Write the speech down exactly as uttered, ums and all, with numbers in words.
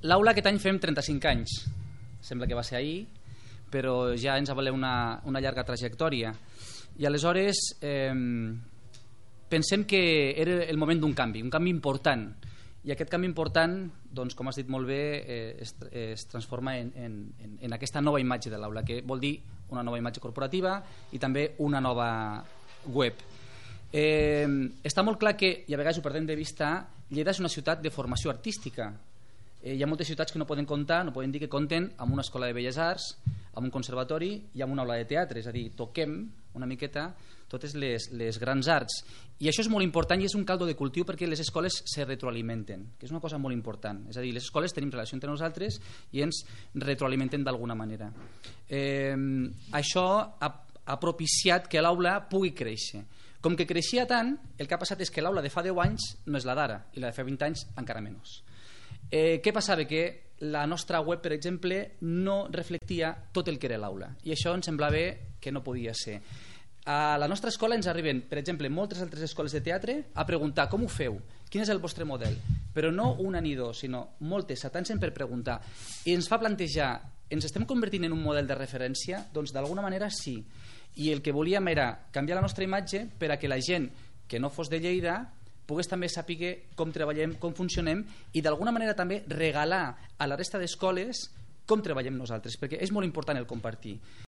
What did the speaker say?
L'aula aquest any fem trenta-cinc anys. Sembla que va ser ahir, però ja ens avaleu una, una llarga trajectòria. I aleshores eh, pensem que era el moment d'un canvi, un canvi important. I aquest canvi important, doncs, com has dit molt bé, eh, es, es transforma en, en, en aquesta nova imatge de l'aula, que vol dir una nova imatge corporativa i també una nova web. Eh, està molt clar que, i a vegades ho perdem de vista, Lleida és una ciutat de formació artística. Eh, hi ha moltes ciutats que no poden comptar, no poden dir que compten amb una escola de belles arts, amb un conservatori i amb una aula de teatre, és a dir, toquem una miqueta totes les, les grans arts. I això és molt important i és un caldo de cultiu perquè les escoles se retroalimenten, que és una cosa molt important. És a dir, les escoles tenim relació entre nosaltres i ens retroalimenten d'alguna manera. Eh, això ha, ha propiciat que l'aula pugui créixer. Com que creixia tant, el que ha passat és que l'aula de fa deu anys no és la d'ara i la de fa vint anys encara menys. Eh, què passava? Que la nostra web, per exemple, no reflectia tot el que era l'aula i això ens semblava que no podia ser. A la nostra escola ens arriben, per exemple, moltes altres escoles de teatre a preguntar com ho feu, quin és el vostre model, però no una ni dos, sinó moltes, s'atansen per preguntar i ens fa plantejar, ens estem convertint en un model de referència? Doncs d'alguna manera sí, i el que volíem era canviar la nostra imatge per a que la gent que no fos de Lleida pogués també saber com treballem, com funcionem i d'alguna manera també regalar a la resta d'escoles com treballem nosaltres, perquè és molt important el compartir.